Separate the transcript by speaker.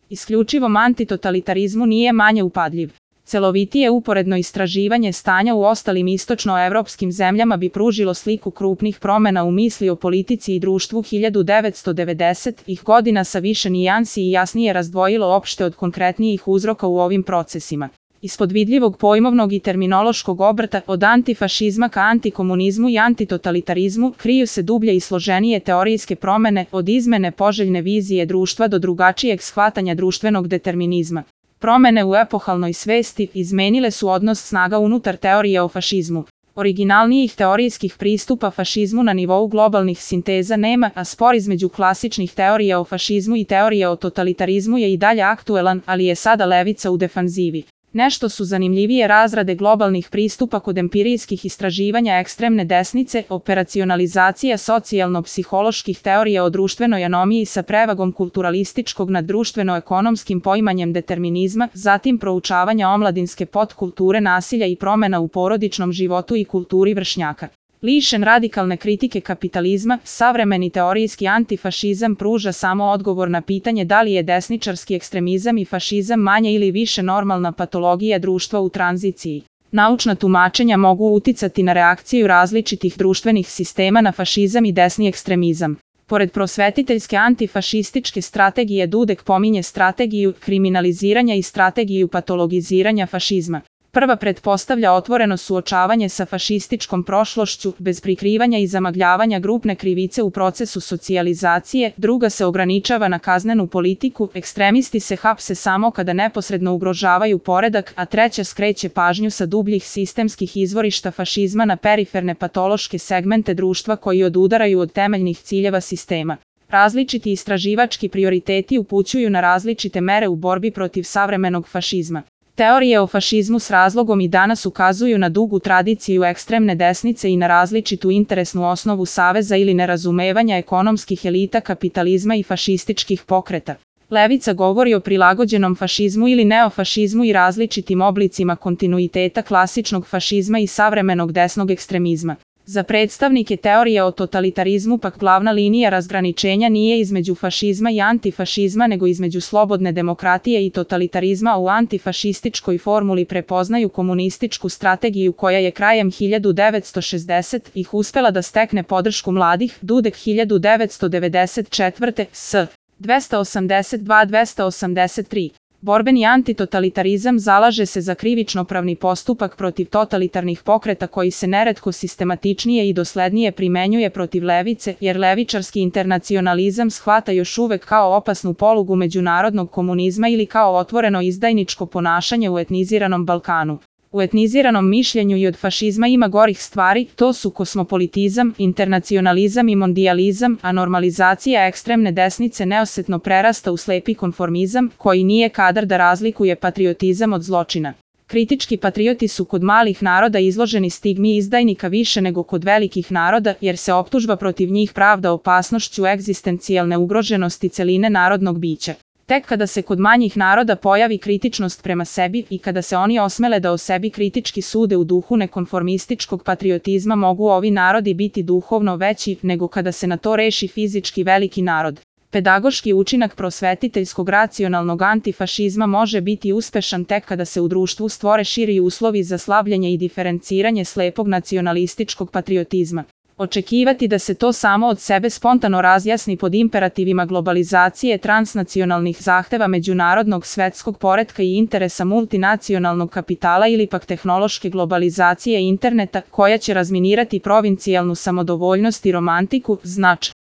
Speaker 1: isključivom antitotalitarizmu nije manje upadljiv. Celovitije uporedno istraživanje stanja u ostalim istočnoevropskim zemljama bi pružilo sliku krupnih promena u misli o politici i društvu 1990-ih godina sa više nijansi i jasnije razdvojilo opšte od konkretnijih uzroka u ovim procesima. Ispod vidljivog pojmovnog i terminološkog obrta od antifašizma ka antikomunizmu i antitotalitarizmu kriju se dublje i složenije teorijske promene od izmene poželjne vizije društva do drugačijeg shvatanja društvenog determinizma. Promene u epohalnoj svesti izmenile su odnos snaga unutar teorije o fašizmu. Originalnijih teorijskih pristupa fašizmu na nivou globalnih sinteza nema, a spor između klasičnih teorija o fašizmu i teorije o totalitarizmu je i dalje aktuelan, ali je sada levica u defanzivi. Nešto su zanimljivije razrade globalnih pristupa kod empirijskih istraživanja ekstremne desnice, operacionalizacija socijalno-psiholoških teorija o društvenoj anomiji sa prevagom kulturalističkog nad društveno-ekonomskim poimanjem determinizma, zatim proučavanja omladinske podkulture nasilja i promena u porodičnom životu i kulturi vršnjaka. Lišen radikalne kritike kapitalizma, savremeni teorijski antifašizam pruža samo odgovor na pitanje da li je desničarski ekstremizam i fašizam manje ili više normalna patologija društva u tranziciji. Naučna tumačenja mogu uticati na reakciju različitih društvenih sistema na fašizam i desni ekstremizam. Pored prosvetiteljske antifašističke strategije Dudek pominje strategiju kriminaliziranja i strategiju patologiziranja fašizma. Prva pretpostavlja otvoreno suočavanje sa fašističkom prošlošću, bez prikrivanja i zamagljavanja grupne krivice u procesu socijalizacije, druga se ograničava na kaznenu politiku, ekstremisti se hapse samo kada neposredno ugrožavaju poredak, a treća skreće pažnju sa dubljih sistemskih izvorišta fašizma na periferne patološke segmente društva koji odudaraju od temeljnih ciljeva sistema. Različiti istraživački prioriteti upućuju na različite mere u borbi protiv savremenog fašizma. Teorije o fašizmu s razlogom i danas ukazuju na dugu tradiciju ekstremne desnice i na različitu interesnu osnovu saveza ili nerazumevanja ekonomskih elita kapitalizma i fašističkih pokreta. Levica govori o prilagođenom fašizmu ili neofašizmu i različitim oblicima kontinuiteta klasičnog fašizma i savremenog desnog ekstremizma. Za predstavnike teorije o totalitarizmu pak glavna linija razgraničenja nije između fašizma i antifašizma nego između slobodne demokratije i totalitarizma. U antifašističkoj formuli prepoznaju komunističku strategiju koja je krajem 1960-ih uspela da stekne podršku mladih, Dudek 1994. s. 282-283. Borbeni antitotalitarizam zalaže se za krivično-pravni postupak protiv totalitarnih pokreta koji se neretko sistematičnije i doslednije primenjuje protiv levice, jer levičarski internacionalizam shvata još uvek kao opasnu polugu međunarodnog komunizma ili kao otvoreno izdajničko ponašanje u etniziranom Balkanu. U etniziranom mišljenju i od fašizma ima gorih stvari, to su kosmopolitizam, internacionalizam i mondijalizam, a normalizacija ekstremne desnice neosetno prerasta u slepi konformizam, koji nije kadar da razlikuje patriotizam od zločina. Kritički patrioti su kod malih naroda izloženi stigmi izdajnika više nego kod velikih naroda, jer se optužba protiv njih pravda opasnošću egzistencijalne ugroženosti celine narodnog bića. Tek kada se kod manjih naroda pojavi kritičnost prema sebi i kada se oni osmele da o sebi kritički sude u duhu nekonformističkog patriotizma mogu ovi narodi biti duhovno veći nego kada se na to reši fizički veliki narod. Pedagoški učinak prosvetiteljskog racionalnog antifašizma može biti uspešan tek kada se u društvu stvore širi uslovi za slavljenje i diferenciranje slepog nacionalističkog patriotizma. Očekivati da se to samo od sebe spontano razjasni pod imperativima globalizacije, transnacionalnih zahteva međunarodnog svetskog poretka i interesa multinacionalnog kapitala ili pak tehnološke globalizacije interneta koja će razminirati provincijalnu samodovoljnost i romantiku, znači